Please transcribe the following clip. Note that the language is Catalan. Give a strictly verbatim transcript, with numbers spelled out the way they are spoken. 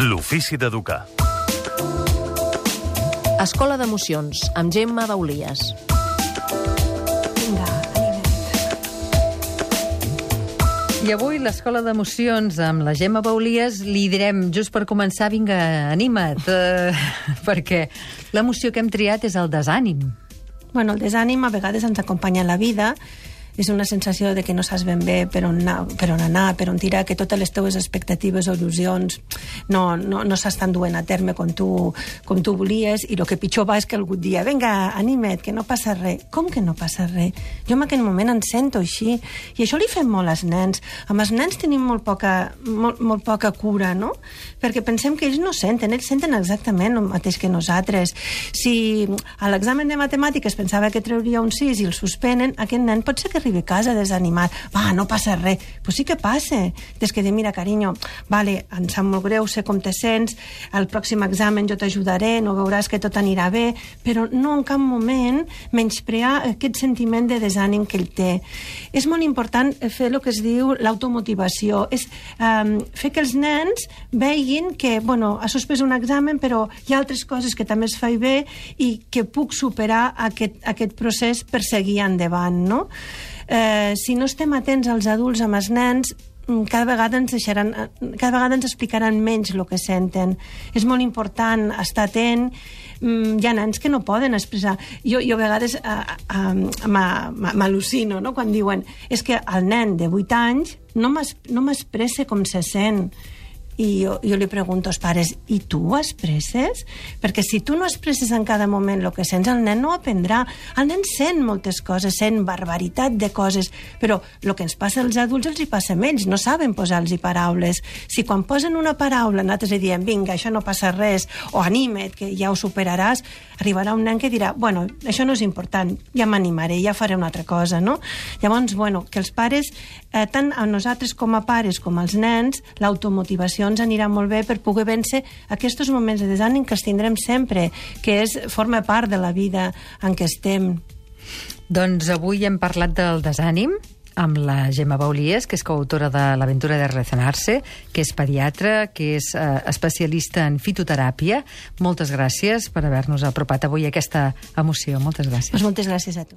L'ofici d'educar. Escola d'Emocions, amb Gemma Baulies. Vinga, I avui l'Escola d'Emocions amb la Gemma Baulies li direm, just per començar, vinga, anima't, eh, perquè l'emoció que hem triat és el desànim. Bueno, el desànim a vegades ens acompanya a la vida. És una sensació de que no saps ben bé per on anar, per on, anar, per on tirar, que totes les teves expectatives o il·lusions no, no, no s'estan duent a terme com tu, com tu volies, i el que pitjor va és que algú et dia, vinga, anima't, que no passa res. Com que no passa res? Jo en aquell moment em sento així, i això li fem molt als nens. Amb els nens tenim molt poca, molt, molt poca cura, no? Perquè pensem que ells no senten, ells senten exactament el mateix que nosaltres. Si a l'examen de matemàtiques pensava que trauria un sis i el suspenen, aquest nen pot ser que arribi a casa desanimat. Va, no passa res. Pues sí que passa. Des que dir, mira, carinyo, vale, em sap molt greu, sé com te sents, al pròxim examen jo t'ajudaré, no veuràs que tot anirà bé, però no en cap moment menysprear aquest sentiment de desànim que ell té. És molt important fer el que es diu l'automotivació. És um, fer que els nens vegin que, bueno, ha suspès un examen, però hi ha altres coses que també es fa bé i que puc superar aquest, aquest procés per seguir endavant, no? Eh, si no estem atents als adults amb els nens, cada vegada ens deixaran, cada vegada ens explicaran menys el que senten. És molt important estar atent. Hi ha nens que no poden expressar. Jo, jo a vegades uh, uh, m'al·lucino, no?, quan diuen és que el nen de vuit anys no m'expressa com se sent. I jo, jo li pregunto als pares, i tu ho expresses? Perquè si tu no expresses en cada moment el que sents, el nen no ho aprendrà. El nen sent moltes coses, sent barbaritat de coses, però el que ens passa als adults els hi passa a ells, no saben posar-los paraules. Si quan posen una paraula nosaltres li diem, vinga, això no passa res, o anima't, que ja ho superaràs, arribarà un nen que dirà, bueno, això no és important, ja m'animaré, ja faré una altra cosa, no? Llavors, bueno, que els pares, eh, tant a nosaltres com a pares com als nens, l'automotivació ens anirà molt bé per poder vèncer aquests moments de desànim que els tindrem sempre, que és, forma part de la vida en què estem. Doncs avui hem parlat del desànim amb la Gemma Baulies, que és coautora de l'Aventura de Relacionarse, que és pediatra, que és eh, especialista en fitoteràpia. Moltes gràcies per haver-nos apropat avui a aquesta emoció. Moltes gràcies. Pues moltes gràcies a tu.